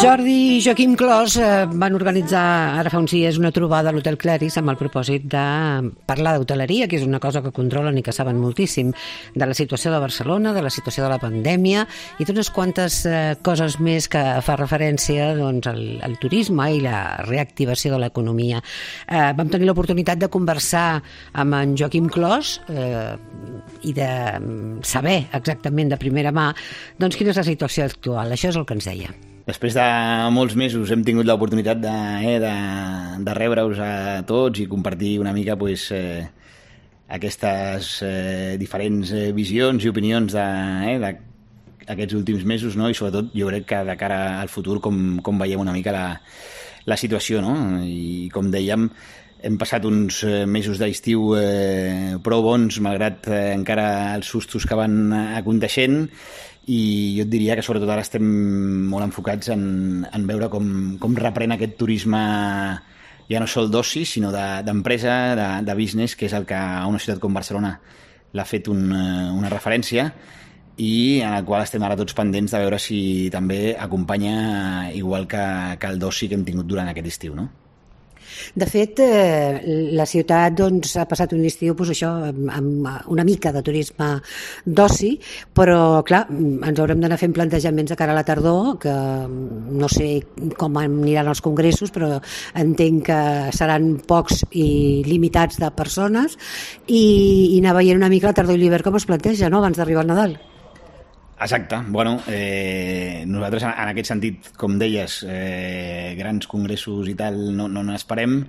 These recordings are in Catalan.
Jordi i Joaquim Clos van organitzar ara fa uns dies una trobada a l'Hotel Cleris amb el propòsit de parlar d'hoteleria, que és una cosa que controlen i que saben moltíssim, de la situació de Barcelona, de la situació de la pandèmia i d'unes quantes coses més que fa referència doncs, al turisme i la reactivació de l'economia. Vam tenir l'oportunitat de conversar amb en Joaquim Clos i de saber exactament de primera mà doncs, quina és la situació actual. Això és el que ens deia. Després de molts mesos hem tingut l'oportunitat de rebre-us a tots i compartir una mica aquestes diferents visions i opinions d'aquests últims mesos, no? I sobretot jo crec que de cara al futur com veiem una mica la situació, no? I com dèiem, hem passat uns mesos d'estiu prou bons, malgrat encara els sustos que van aconteixent, i jo et diria que sobretot ara estem molt enfocats en veure com reprèn aquest turisme ja no sol d'oci, sinó d'empresa, de business, que és el que a una ciutat com Barcelona l'ha fet una referència i en el qual estem ara tots pendents de veure si també acompanya igual que el d'oci que hem tingut durant aquest estiu, no? De fet, la ciutat doncs, ha passat un estiu amb una mica de turisme d'oci, però clar, ens haurem d'anar fent plantejaments de cara a la tardor, que no sé com aniran els congressos, però entenc que seran pocs i limitats de persones, i anar veient una mica la tardor i l'hivern com es planteja, no?, abans d'arribar al Nadal. Exacte. Bueno, nosaltres en aquest sentit, com deies, grans congressos i tal no n'esperem.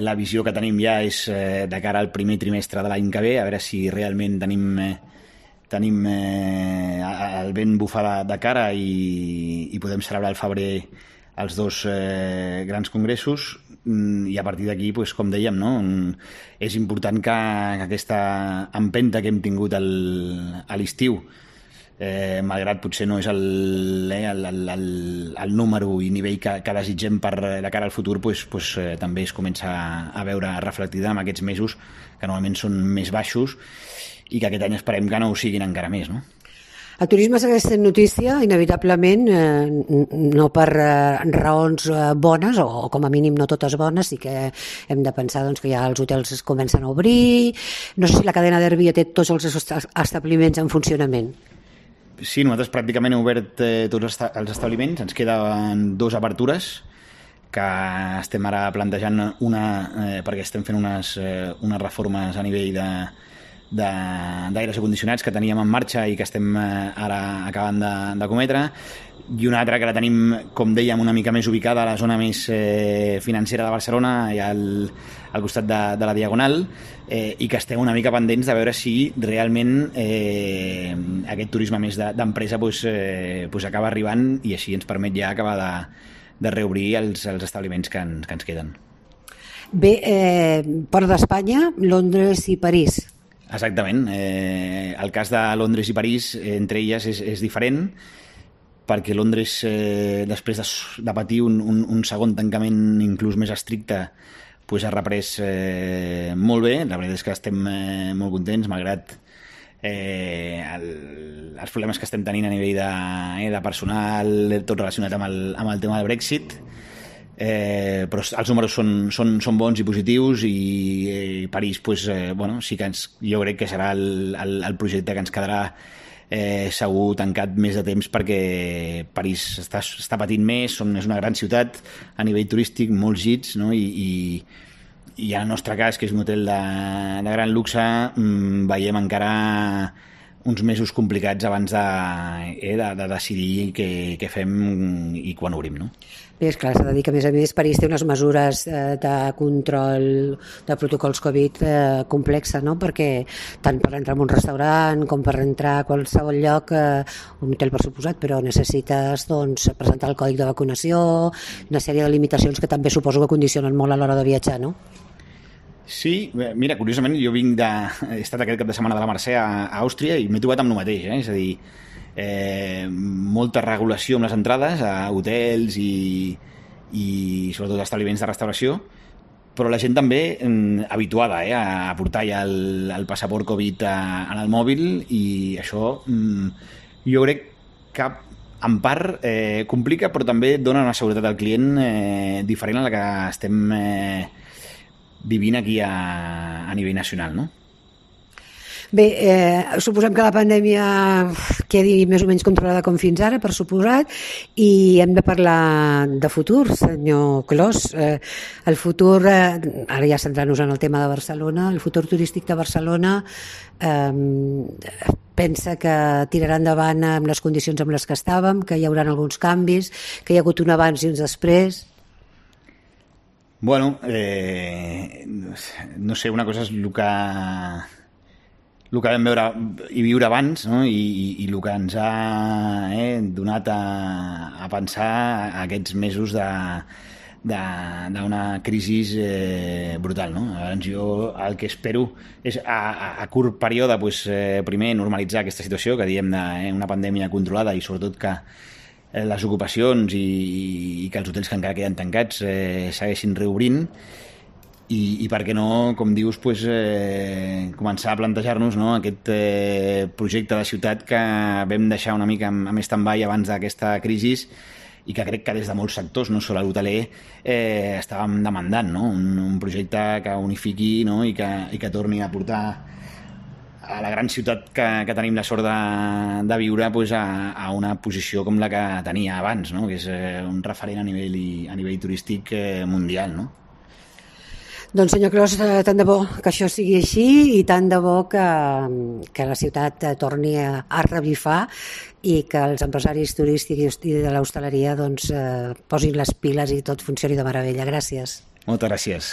La visió que tenim ja és de cara al primer trimestre de l'any que ve, a veure si realment tenim el vent bufar de cara i podem celebrar al febrer els dos grans congressos, i a partir d'aquí, com dèiem, no? És important que aquesta empenta que hem tingut a l'estiu, malgrat potser no és el número i nivell que desitgem de cara al futur, també es comença a veure reflectida en aquests mesos que normalment són més baixos i que aquest any esperem que no ho siguin encara més, no? El turisme segueix sent notícia, inevitablement, no per raons bones, o com a mínim no totes bones, sí que hem de pensar doncs, que ja els hotels es comencen a obrir. No sé si la cadena d'Airbnb té tots els establiments en funcionament. Sí, nosaltres pràcticament hem obert tots els establiments, ens queden 2 obertures que estem ara plantejant perquè estem fent unes reformes a nivell d'aires acondicionats que teníem en marxa i que estem ara acabant de cometre, i una altra que la tenim, com dèiem, una mica més ubicada a la zona més financera de Barcelona, allà al costat de la Diagonal, i que estem una mica pendents de veure si realment aquest turisme més d'empresa acaba arribant i així ens permet ja acabar de reobrir els establiments que ens queden. Bé, fora d'Espanya, Londres i París. Exactament. El cas de Londres i París, entre elles, és diferent, perquè Londres, després de patir un segon tancament inclús més estricte, ha reprès molt bé. La veritat és que estem molt contents, malgrat els problemes que estem tenint a nivell de personal, tot relacionat amb el tema del Brexit. Però els números són bons i positius, i París sí que jo crec que serà el projecte que ens quedarà segur tancat més de temps, perquè París està patint més, és una gran ciutat a nivell turístic, molts gits, no? I en el nostre cas, que és un hotel de gran luxe, veiem encara uns mesos complicats abans de decidir què fem i quan obrim, no? Bé, esclar, s'ha de dir que, a més, París té unes mesures de control de protocols Covid complexa, no? Perquè tant per entrar en un restaurant com per entrar a qualsevol lloc, un hotel per suposat, però necessites presentar el còdic de vacunació, una sèrie de limitacions que també suposo que condicionen molt a l'hora de viatjar, no? Sí, mira, curiosament jo he estat aquest cap de setmana de la Mercè a Àustria i m'he trobat amb el mateix, és a dir, molta regulació amb les entrades a hotels i sobretot establiments de restauració, però la gent també habituada a portar ja el passaport Covid en el mòbil, i això jo crec que en part complica, però també dona una seguretat al client diferent a la que estem vivint aquí a nivell nacional, no? Bé, suposem que la pandèmia quedi més o menys controlada com fins ara, per suposat, i hem de parlar de futur, senyor Clos. El futur, ara ja centrant-nos en el tema de Barcelona, el futur turístic de Barcelona pensa que tirarà endavant amb les condicions amb les que estàvem, que hi haurà alguns canvis, que hi ha hagut un abans i uns després? Bueno, no sé, una cosa és el que vam veure i viure abans, no? I el que ens ha donat a pensar aquests mesos d'una crisi brutal, no? Llavors jo el que espero és a curt període primer normalitzar aquesta situació que diem d'una pandèmia controlada i sobretot que les ocupacions i que els hotels que encara queden tancats segueixin reobrint i per què no, com dius, començar a plantejar-nos aquest projecte de ciutat que vam deixar una mica amb stand-by abans d'aquesta crisi i que crec que des de molts sectors, no sols l'hoteler, estàvem demandant, no? Un projecte que unifiqui, no? I que torni a portar a la gran ciutat que tenim la sort de viure a una posició com la que tenia abans, no? Que és un referent a nivell turístic mundial, no? Doncs, senyor Clos, tant de bo que això sigui així i tant de bo que la ciutat torni a revifar i que els empresaris turístics i de l'hostaleria posin les piles i tot funcioni de meravella. Gràcies. Moltes gràcies.